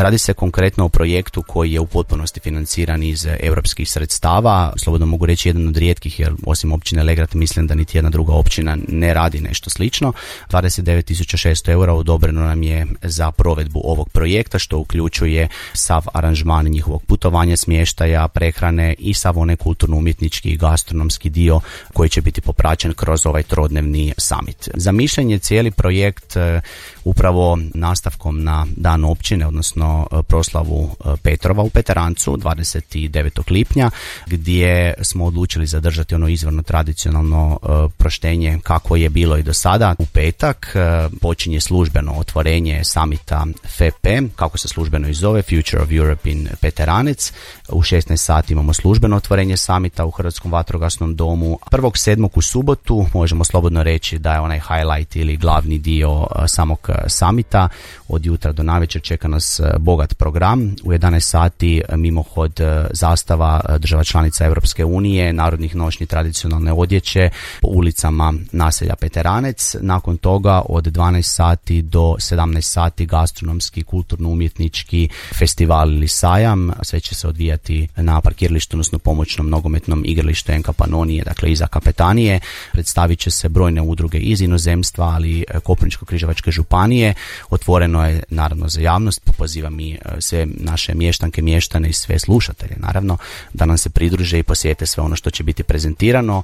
Radi se konkretno o projektu koji je u potpunosti financiran iz europskih sredstava. Slobodno mogu reći jedan od rijetkih, jer osim općine Legrad mislim da niti jedna druga općina ne radi nešto slično. 29.600 eura odobreno nam je za provedbu ovog projekta, što uključuje sav aranžman njihovog putovanja, smještaja, prehrane i sav onaj kulturno-umjetnički i gastronomski dio koji će biti popraćen kroz ovaj trodnevni summit. Zamišljen je cijeli projekt upravo nastavkom na dan općine, odnosno proslavu Petrova u Peterancu 29. lipnja, gdje smo odlučili zadržati ono izvorno tradicionalno proštenje kako je bilo i do sada. U petak počinje službeno otvorenje samita FEP, kako se službeno i zove, Future of Europe in Peteranec. U 16 sati imamo službeno otvorenje samita u Hrvatskom vatrogasnom domu. 1.7. u subotu možemo slobodno reći da je onaj highlight ili glavni dio samog samita. Od jutra do navečer čeka nas bogat program. U 11 sati mimohod zastava država članica Europske unije, narodnih nošnji, tradicionalne odjeće po ulicama naselja Peteranec. Nakon toga od 12 sati do 17 sati gastronomski, kulturno-umjetnički festival ili sajam. Sve će se odvijati na parkiralištu, odnosno pomoćnom nogometnom igralištu NK Panonije, dakle iza kapetanije. Predstavit će se brojne udruge iz inozemstva, ali Koprivničko-križevačke županije. Otvoreno je naravno za javnost. Pozivam i sve naše mještanke, mještane i sve slušatelje naravno da nam se pridruže i posjete sve ono što će biti prezentirano.